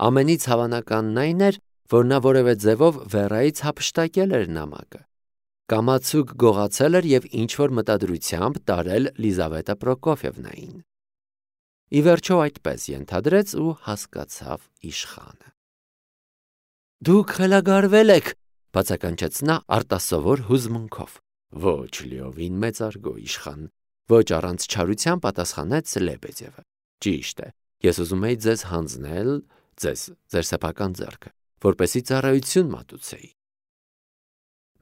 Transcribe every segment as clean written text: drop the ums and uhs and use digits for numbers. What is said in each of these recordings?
Ամենից հավանականն այն էր, որ նա որևէ ձևով վերայից հափշտակել էր նամակը։ Կամացուկ գողացել էր և ինչ-որ մտադրությամբ տարել Լիզավետա Պրոկոֆիևնային։ Ի վերջո այդպես ենթադրեց ու հասկացավ իշխանը։ «Դուք խելագարվել եք», բացականչեց նա արտասովոր հուզմունքով։ «Ոչ, լիովին մեծարգո իշխան», ոչ առանց չարության պատասխանեց Լեբեդևը։ «Ճիշտ է, ես ուզում էի ձեզ հանձնել, ձեր սեփական ձեռքը, որպեսզի ծառայություն մատուցեի։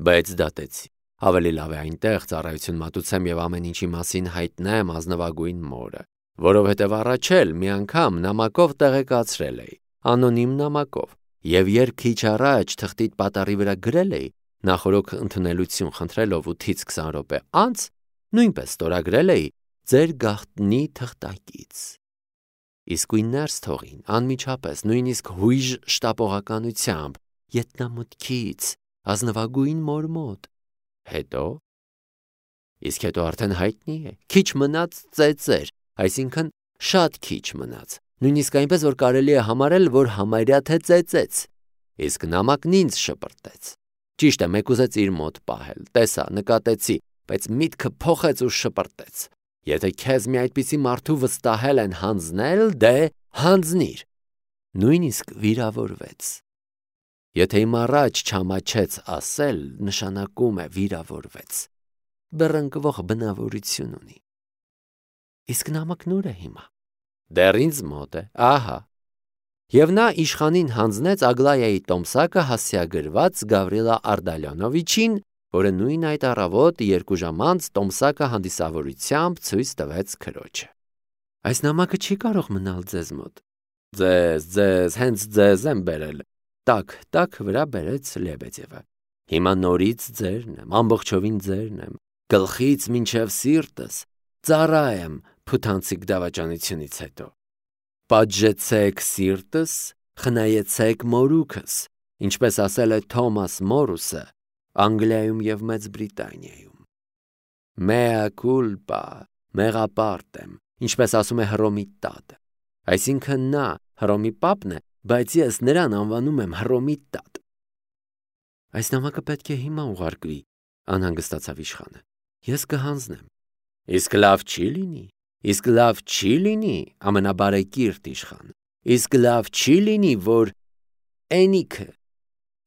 Բայց դատեցի։ Ավելի լավ է այնտեղ ծառայություն մատուցեմ և ամեն ինչի մասին հայտնեմ ազնվագույն մորը, որովհետև առաջ էլ մի անգամ նամակով տեղեկացրել էի, անոնիմ նամակով, և երբ քիչ առաջ թղթիդ պատառի վրա գրել էի, նախօրոք ընդունելություն խնդրելով 8-ից 20 րոպե անց, նույնպես ստորագրել էի ձեր գաղտնի թղթակից։ Իսկույն ներս թողին, անմիջապես, նույնիսկ հույժ շտապողականությամբ, ետնամուտքից, ազնվագույն մոր մոտ։ Հետո։ Իսկ հետո արդեն հայտնի է, քիչ մնաց ծեծեր, այսինքն շատ քիչ մնաց, նույնիսկ այնպես, որ կարելի է համարել, որ համարյա թե ծեծեց, իսկ նամակն ինձ շպրտեց։ Ճիշտ է, մեկ ուզեց իր մոտ պահել, տեսա, նկատեցի, բայց միտքը փոխեց ու շպրտեց։ Եթե քեզ մի այդպիսի մարդու վստահել են հանձնել, դե հանձնիր։ Նույնիսկ վիրավորվեց։ Եթե իմ առաջ չամաչեց ասել, նշանակում է վիրավորվեց։ Բռնկվող բնավորություն ունի։ Իսկ նամակն ուր է հիմա։ Դեռ ինձ մոտ է, ահա։ Եվ նա իշխանին հանձնեց Ագլայայի տոմսակը հասցեագրված Գավրիլա Ардալյոնովիչին, որը նույն այդ առավոտ 2 ժամ անց տոմսակը հանդիսավորությամբ ցույց տվեց քրոջը։ Այս նամակը չի կարող մնալ ձեզ մոտ։ Ձեզ, հենց ձեզ եմ բերել։ Տակ վրա բերեց Լեբեդևը։ Հիմա նորից ձերն եմ, ամբողջովին ձերն եմ, գլխից մինչև սիրտս, ծառա եմ փութանցիկ դավաճանությունից հետո։ Պատժեցեք սիրտս, խնայեցեք մորուքս, ինչպես ասել է Թոմաս Մորուսը Անգլիայում և Մեծ Բրիտանիայում։ Mea culpa, մեղապարտ եմ, ինչպես ասում է Հռոմի տատը։ Այսինքն նա Հռոմի պապն է, բայց ես նրան անվանում եմ Հռոմի տատ։ Այս նամակը պետք է հիմա ուղարկվի, անհանգստացավ իշխանը։ Ես կհանձնեմ։ Իսկ լավ չի լինի, ամենաբարեկիրթ իշխան։ Իսկ լավ չի լինի, որ Էնիքը։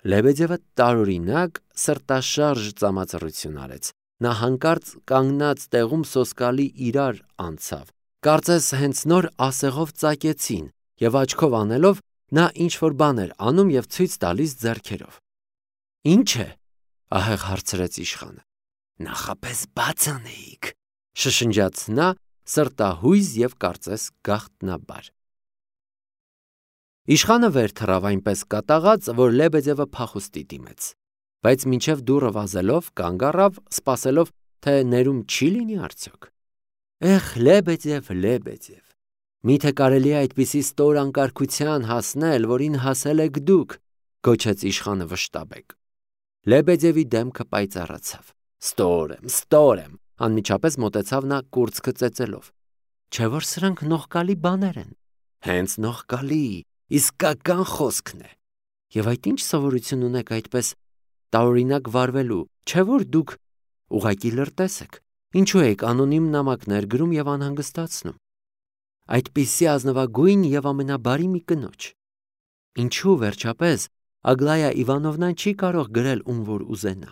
Լեբեդևը տարօրինակ սրտաշարժ ծամածռություն արեց։ Նա հանկարծ կանգնած տեղում սոսկալի իրար անցավ։ Կարծես հենց նոր ասեղով ծակեցին, և աչքով անելով նա ինչ-որ բան էր անում և ցույց տալիս ձեռքերով։ Ինչ է, ահեղ հարցրեց իշխանը։ Նախապես բաց անեիք, շշնջաց նա սրտահույզ և կարծես գաղտնաբար։ Իշխանը վեր թռավ այնպես կատաղած, որ Լեբեդևը փախուստի դիմեց, բայց մինչև դուռը վազելով կանգ առավ, սպասելով, թե ներում չի լինի արդյոք։ Էխ, Լեբեդև, միթե կարելի է այդպիսի ստոր անկարգության հասնել, որին հասել եք դուք, գոչեց իշխանը վշտաբեկ։ Լեբեդևի դեմքը պայծառացավ։ Ստոր եմ, անմիջապես մոտեցավ նա կուրծքը ծեծելով։ Չէ՞ որ սրանք նողկալի բաներ են։ Հենց նողկալի, իսկական խոսքն է։ Եվ այդ ինչ սովորություն ունեք այդպես տարօրինակ վարվելու, չէ՞ որ դուք ուղղակի լրտես եք։ Ինչու եք անոնիմ նամակներ գրում և անհանգստացնում։ Այդպիսի ազնվագույն և ամենաբարի մի կնոջ։ Ինչու վերջապես Ագլայա Իվանովնան չի կարող գրել ում որ ուզենա։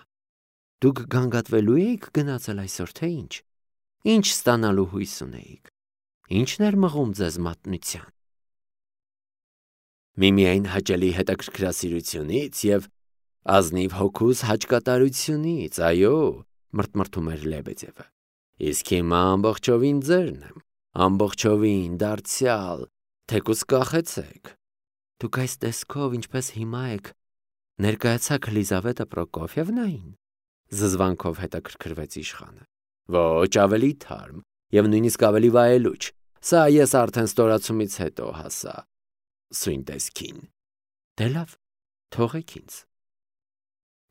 Դուք գանգատվելու էիք գնացել այսօր, թե ինչ։ Ինչ ստանալու հույս ունեիք։ Ինչն էր մղում ձեզ մատնության։ Միմիայն հաճելի հետաքրքրասիրությունից և ազնիվ հոգուս հաճկատարությունից, այո, մրթմրթում էր Լեբեդևը։ Իսկ հիմա ամբողջովին ձերն եմ, ամբողջովին դարձյալ, թեկուզ կախեցեք։ Դուք այս տեսքով, ինչպես հիմա եք, ներկայացաք Լիզավետա Պրոկոֆիևնային, զզվանքով հետաքրքրվեց իշխանը։ Ոչ, ավելի թարմ, և նույնիսկ ավելի վայելուչ։ Սա ես արդեն ստորացումից հետո հասա։ Սույն տեսքին։ Դե լավ, թողեք ինձ։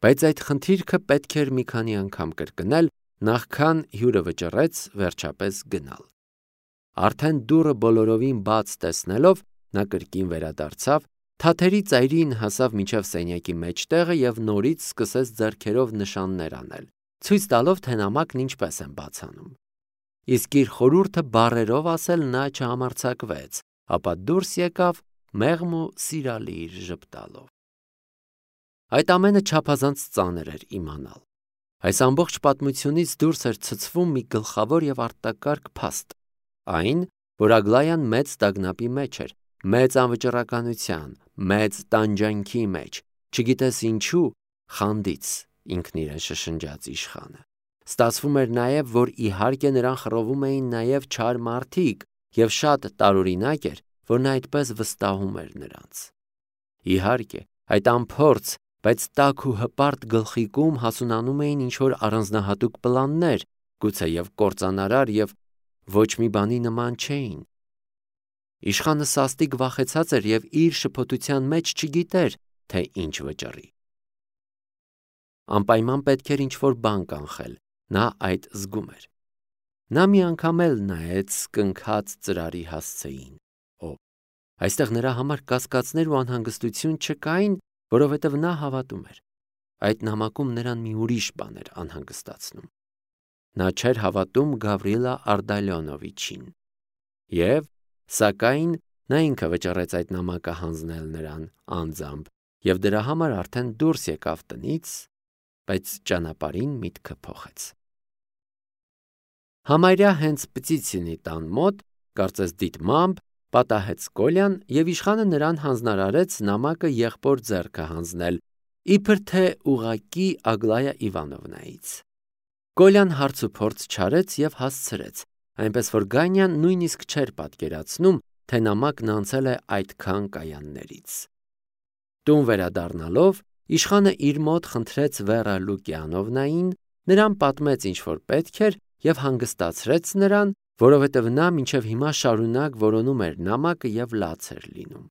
Բայց այդ խնդիրքը պետք էր մի քանի անգամ կրկնել, նախքան հյուրը վճռեց վերջապես գնալ։ Արդեն դուռը բոլորովին բաց տեսնելով, նա կրկին վերադարձավ Թաթերի ծայրին հասավ մինչև սենյակի մեջտեղը և նորից սկսեց ձեռքերով նշաններ անել, ցույց տալով, թե նամակն ինչպես են բացանում։ Իսկ իր խորհուրդը բառերով ասել նա չհամարձակվեց, ապա դուրս եկավ մեղմ ու սիրալիր ժպտալով։ Այդ ամենը չափազանց ծանր էր իմանալ։ Այս ամբողջ պատմությունից դուրս էր ցցվում մի գլխավոր և արտակարգ փաստ, այն, որ Ագլայան մեծ տագնապի մեջ էր, մեծ անվճռականության, մեծ տանջանքի մեջ, չգիտես ինչու, խանդից, ինքն իրեն շշնջաց իշխանը։ Ստացվում էր նաև, որ իհարկե նրան խռովում էին նաև չար մարդիկ, և շատ տարօրինակ էր, որ նա այդպես վստահում էր նրանց։ Իհարկե, այդ անփորձ, բայց տաք ու հպարտ գլխիկում հասունանում էին ինչ-որ առանձնահատուկ պլաններ, գուցեև կործանարար և ոչ մի բանի նման չէին։ Իշխանը սաստիկ վախեցած էր և իր շփոթության մեջ չգիտեր, թե ինչ վճռի։ Անպայման պետք էր ինչ-որ բան կանխել, նա այդ զգում էր։ Նա մի անգամ էլ նայեց կնքած ծրարի հասցեին։ Այստեղ նրա համար կասկածներ ու անհանգստություն չկային, որովհետև նա հավատում էր։ Այդ նամակում նրան մի ուրիշ բան էր անհանգստացնում։ Նա չէր հավատում Գավրիլա Արտալյոնովիչին։ Սակայն նա ինքը վճռեց այդ նամակը հանձնել նրան անձամբ և դրա համար արդեն դուրս եկավ տնից, բայց ճանապարհին միտքը փոխեց։ Համարյա հենց Պտիցինի տան մոտ, կարծես դիտմամբ, պատահեց Կոլյան և իշխանը նրան հանձնարարեց նամակը եղբոր ձեռքը հանձնել, իբր թե ուղղակի Ագլայա Իվանովնայից։ Կոլյան հարց ու փորձ չարեց և հասցրեց, այնպես որ Գանյան նույնիսկ չէր պատկերացնում, թե նամակն անցել է այդքան կայաններից։ Տուն վերադառնալով, իշխանը իր մոտ խնդրեց Վերա Լուկիանովնային, նրան պատմեց ինչ որ պետք էր և հանգստացրեց նրան, որովհետև նա մինչև հիմա շարունակ որոնում էր նամակը և լաց էր լինում։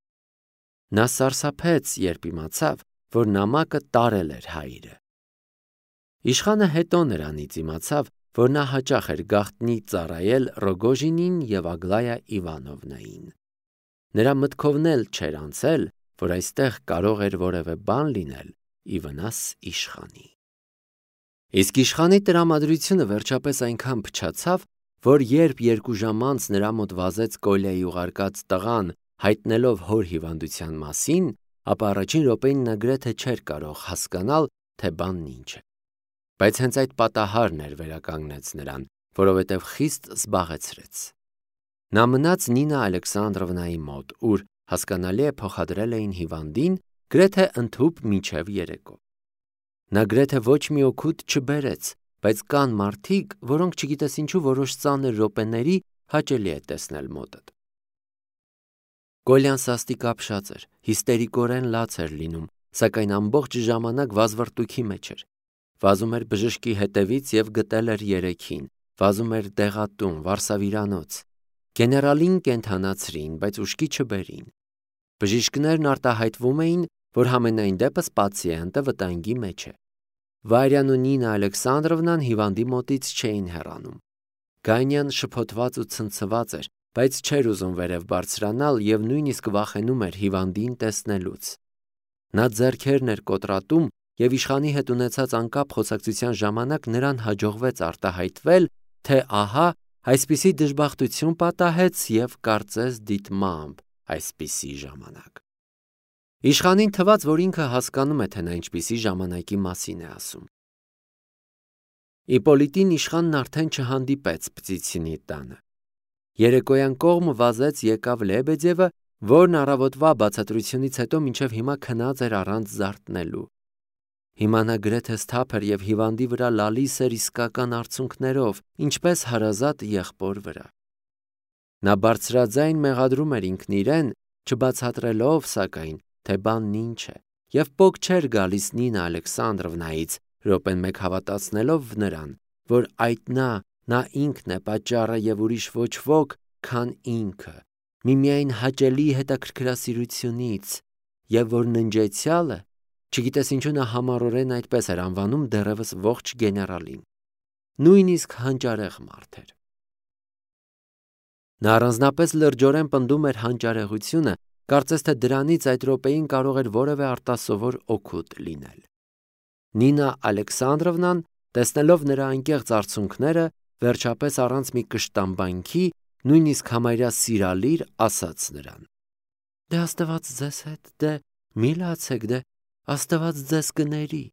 Նա սարսափեց, երբ իմացավ, որ նամակը տարել էր հայրը։ Իշխանը հետո նրանից իմացավ, որ նա հաճախ էր գաղտնի ծառայել Ռոգոժինին և Ագլայա Իվանովնային։ Նրա մտքովն էլ չէր անցել, որ այստեղ կարող էր որևէ բան լինել ի վնաս իշխանի։ Իսկ իշխանի տրամադրությունը վերջապես այնքան փչացավ, որ երբ 2 ժամ անց նրա մոտ վազեց Կոլյայի ուղարկած տղան, հայտնելով հոր հիվանդության մասին, ապա առաջին րոպեին նա գրեթե չէր կարող հասկանալ, թե բանն ինչ է։ Բայց հենց այդ պատահարն էր վերականգնեց նրան, որովհետև խիստ զբաղեցրեց։ Նա մնաց Նինա Ալեքսանդրովնայի մոտ, ուր, հասկանալի է, փոխադրել էին հիվանդին, գրեթե ընդհուպ մինչև երեկո։ Նա գրեթե ոչ մի օգուտ չբերեց, բայց կան մարդիկ, որոնք չգիտես ինչու որոշ ծանր րոպեների հաճելի է տեսնել մոտդ։ Կոլյան սաստիկ ապշած էր, հիստերիկորեն լաց էր լինում, սակայն ամբողջ ժամանակ վազվռտուքի մեջ էր։ Վազում էր բժշկի հետևից և գտել էր երեքին, վազում էր դեղատուն, վարսավիրանոց։ Գեներալին կենդանացրին, բայց ուշքի չբերին։ Բժիշկներն արտահայտվում էին, որ համենայն դեպս պացիենտը վտանգի մեջ է։ Վարյան ու Նինա Ալեքսանդրովնան հիվանդի մոտից չէին հեռանում։ Գանյան շփոթված ու ցնցված էր, բայց չէր ուզում վերև բարձրանալ և նույնիսկ վախենում էր հիվանդին տեսնելուց։ Նա ձեռքերն էր կոտրատում և իշխանի հետ ունեցած անկապ խոսակցության ժամանակ նրան հաջողվեց արտահայտվել, թե ահա այսպիսի դժբախտություն պատահեց և կարծես դիտմամբ այսպիսի ժամանակ։ Իշխանին թվաց, որ ինքը հասկանում է, թե նա ինչպիսի ժամանակի մասին է ասում։ Իպոլիտին իշխանն արդեն չհանդիպեց Պտիցինի տանը։ Երեկոյան կողմ վազեց եկավ Լեբեդևը, որն առավոտվա բացատրությունից հետո մինչև հիմա քնած էր առանց զարթնելու։ Հիմա նա գրեթե սթափ էր և հիվանդի վրա լալիս էր իսկական արցունքներով, ինչպես հարազատ եղբոր վրա։ Նա բարձրաձայն մեղադրում էր ինքն իրեն, չբացատրելով, սակայն, թե բանն ինչ է, և պոկ չէր գալիս Նինա Ալեքսանդրովնայից, րոպեն մեկ հավատացնելով նրան, որ այդ նա ինքն է պատճառը և ուրիշ ոչ ոք, քան ինքը, միմիայն հաճելի հետաքրքրասիրությունից, և որ ննջեցյալը, չգիտես ինչու նա համառորեն այդպես էր անվանում դեռևս ողջ գեներալին, նույնիսկ հանճարեղ մարդ էր։ Նա առանձնապես լրջորեն պնդում էր հանճարեղությունը, կարծես թե դրանից այդ րոպեին կարող էր որևէ արտասովոր օգուտ լինել։ Նինա Ալեքսանդրովնան, տեսնելով նրա անկեղծ արցունքները, վերջապես առանց մի կշտամբանքի, նույնիսկ համարյա սիրալիր, ասաց նրան. «Դե Աստված ձեզ հետ, դե մի լացեք, դե Աստված ձեզ կների»։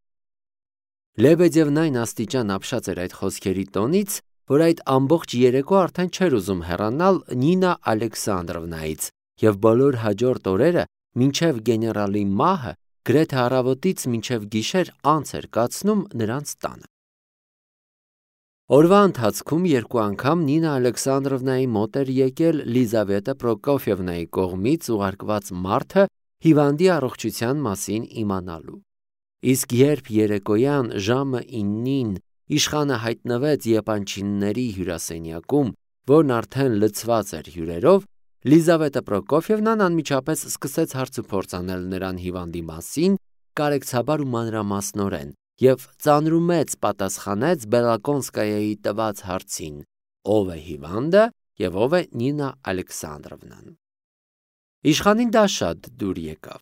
Լեբեդևն այն աստիճան ապշած էր այդ խոսքերի տոնից, որ այդ ամբողջ երեկո արդեն չէր ուզում հեռանալ Նինա Ալեքսանդրովնայից և բոլոր հաջորդ օրերը, մինչև գեներալի մահը, գրեթե առավոտից մինչև գիշեր անց էր կացնում նրանց տանը։ Օրվա ընթացքում երկու անգամ Նինա Ալեքսանդրովնայի մոտ էր եկել Լիզավետա Պրոկոֆյևնայի կողմից ուղարկված մարդը հիվանդի առողջության մասին իմանալու։ Իսկ երբ երեկոյան ժամը 9-ին իշխանը հայտնվեց Եպանչինների հյուրասենյակում, որն արդեն լցված էր հյուրերով, Լիզավետա Պրոկոֆյևնան անմիջապես սկսեց հարցուփորձ անել նրան հիվանդի մասին, կարեկցաբար ու մանրամասնորեն, և ծանրումեծ պատասխանեց Բելակոնսկայայի տված հարցին. ով է հիվանդը և ով է Նինա Ալեքսանդրովնան։ Իշխանին դա շատ դուր եկավ։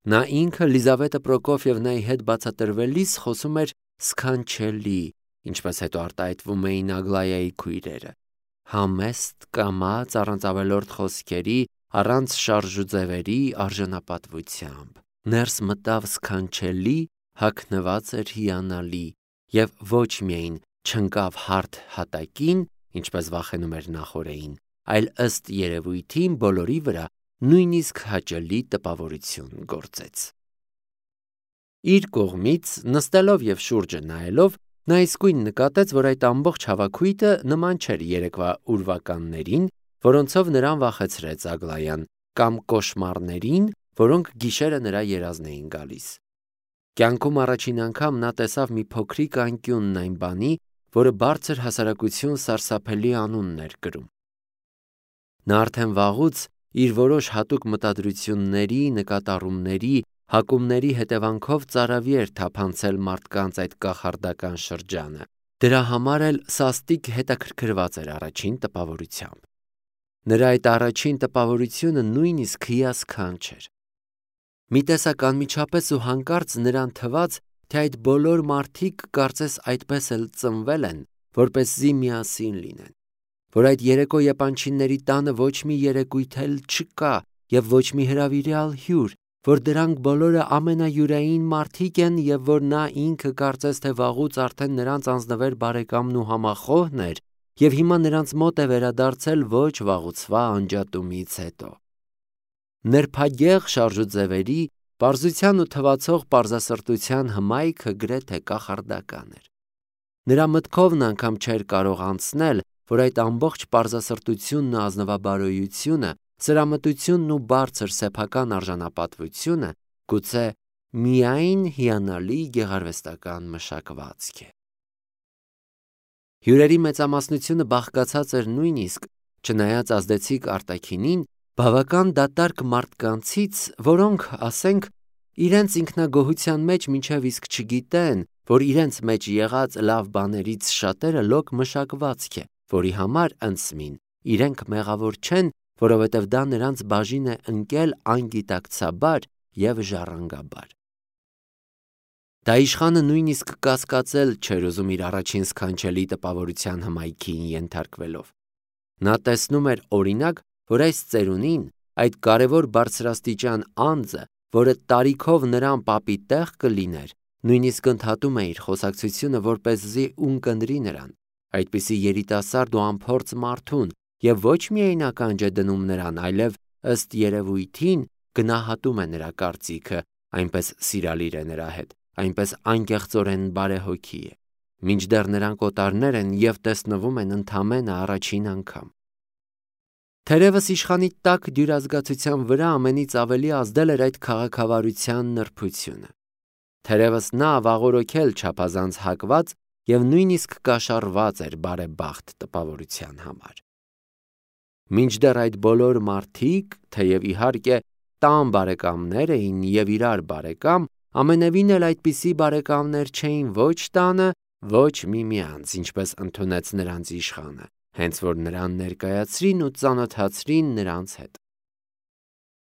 Նա ինքը Լիզավետա Պրոկոֆյևնայի հետ բացատրվելիս խոսում էր սքանչելի, ինչպես հետո արտահայտվում էին Ագլայայի քույրերը, համեստ, կամաց, առանց ավելորդ խոսքերի, առանց շարժուձևերի, արժանապատվությամբ։ Ներս մտավ սքանչելի, հագնված էր հիանալի և ոչ միայն չընկավ հարթ հատակին, ինչպես վախենում էր նախօրեին, այլ ըստ երևույթին բոլորի վրա նույնիսկ հաճելի տպավորություն գործեց։ Իր կողմից, նստելով և շուրջը նայելով, նա իսկույն նկատեց, որ այդ ամբողջ հավաքույթը նման չէր երեկվա ուրվականներին, որոնցով նրան վախեցրեց Ագլայան, կամ կոշմարներին, որոնք գիշերը նրա երազն էին գալիս։ Կյանքում առաջին անգամ նա տեսավ մի փոքրիկ անկյունն այն բանի, որը բարձր հասարակություն սարսափելի անունն էր կրում։ Նա արդեն վաղուց իր որոշ հատուկ մտադրությունների, նկատառումների, հակումների հետևանքով ծարավի էր թափանցել մարդկանց այդ կախարդական շրջանը, դրա համար էլ սաստիկ հետաքրքրված էր առաջին տպավորությամբ։ Նրա այդ առաջին տպավորությունը նույնիսկ հիասքանչ էր։ Մի տեսակ անմիջապես ու հանկարծ նրան թվաց, թե այդ բոլոր մարդիկ կարծես այդպես էլ ծնվել են, որպեսզի միասին լինեն, որ այդ երեկո Եպանչինների տանը ոչ մի երեկույթ էլ չկա և ոչ մի հրավիրյալ հյուր, որ դրանք բոլորը ամենայուրային մարդիկ են և որ նա ինքը կարծես թե վաղուց արդեն նրանց անձնվեր բարեկամն ու համախոհն էր և հիմա նրանց մոտ է վերադարձել ոչ վաղուցվա անջատումից հետո։ Նրբագեղ շարժուձևերի, պարզության ու թվացող պարզասրտության հմայքը գրեթե կախարդական էր։ Նրա մտքովն անգամ չէր կարող անցնել, որ այդ ամբողջ պարզասրտությունն ու ազնվաբարոյությունը, սրամտությունն ու բարձր սեփական արժանապատվությունը գուցե միայն հիանալի գեղարվեստական մշակվածք է։ Հյուրերի մեծամասնությունը բաղկացած էր նույնիսկ, չնայած ազդեցիկ արտաքինին, բավական դատարկ մարդկանցից, որոնք, ասենք, իրենց ինքնագոհության մեջ մինչև իսկ չգիտեն, որ իրենց մեջ եղած լավ բաներից շատերը լոկ մշակվածք է, որի համար ընծմին իրենք մեղավոր չեն, որովհետև դա նրանց բաժին է ընկել անգիտակցաբար և ժառանգաբար։ Դա իշխանը նույնիսկ կասկածել չէր ուզում իր առաջին սքանչելի տպավորության հմայքին ենթարկվելով։ Նա տեսնում էր օրինակ, որ այս ծերունին, այդ կարևոր բարձրաստիճան անձը, որը տարիքով նրան պապի տեղ կլիներ, նույնիսկ ընդհատում է իր խոսակցությունը, որպեսզի ունկնդրի նրան, այդպիսի երիտասարդ ու անփորձ մարդուն, և ոչ միայն ականջ է դնում նրան, այլև ըստ երևույթին գնահատում է նրա կարծիքը, այնպես սիրալիր է նրա հետ, այնպես անկեղծորեն բարեհոգի է, մինչդեռ նրանք օտարներ են և տեսնվում են ընդամենը առաջին անգամ։ Թերևս իշխանի տաք դյուրազգացության վրա ամենից ավելի ազդել էր այդ քաղաքավարության նրբությունը։ Թերևս նա վաղօրոքել չափազանց հակված և նույնիսկ կաշառված էր բարեբախտ տպավորության համար։ Մինչդեռ այդ բոլոր մարդիկ, թեև իհարկե տան բարեկամներ էին և իրար բարեկամ, ամենևին էլ այդպիսի բարեկամներ չէին ոչ տանը, ոչ միմյանց, ինչպես ընդունեց նրանց իշխանը, հենց որ նրան ներկայացրին ու ծանոթացրին նրանց հետ։